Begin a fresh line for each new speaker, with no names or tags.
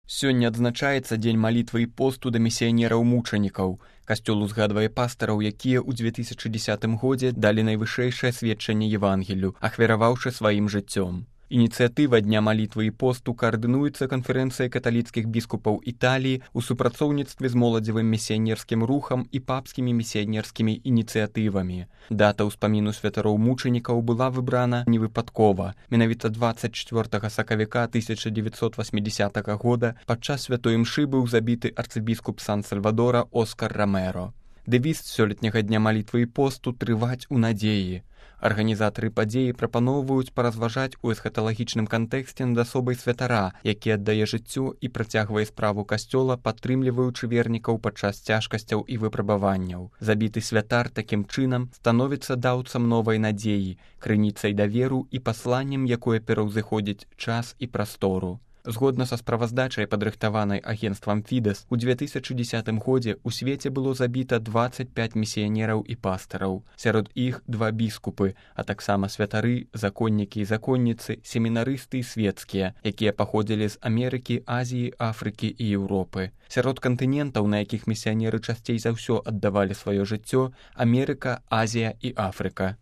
Сёння адзначаецца дзень малітвы і посту да місіянераў-мучанікаў. Касцёл узгадвае пастараў, якія ў 2010 годзе далі найвышэйшае сведчанне Евангелію, ахвяраваўшы сваім жыццём. Ініцыятыва Дня малітвы і посту каардынуецца канферэнцыяй каталіцкіх біскупаў Італіі ў супрацоўніцтве з моладзевым місіянерскім рухам і папскімі місіянерскімі ініцыятывамі. Дата ўспаміну святароў-мучанікаў была выбрана невыпадкова. Менавіта 24 сакавіка 1980 года падчас святой імшы быў забіты арцыбіскуп Сан-Сальвадора Оскар Ромеро. Дэвіз сёлетняга дня малітвы і посту «Трываць у надзеі». Арганізатары падзеі прапаноўваюць паразважаць у эсхаталагічным кантэксце над асобай святара, які аддае жыццё і працягвае справу касцёла, падтрымліваючы вернікаў падчас цяжкасцяў і выпрабаванняў. Забіты святар такім чынам становіцца даўцам новай надзеі, крыніцай даверу і пасланнем, якое пераўзыходзіць час і прастору. Згодна са справаздачай, падрыхтаванай агенцтвам Фідес, у 2010 годзе ў свеце было забіта 25 місіянераў і пастараў. Сярод іх 2 біскупы, а таксама святары, законнікі і законніцы, семінарысты і свецкія, якія паходзілі з Амерыкі, Азіі, Афрыкі і Еўропы. Сярод кантынентаў, на якіх місіянеры часцей за ўсё аддавалі сваё жыццё, Амерыка, Азія і Афрыка.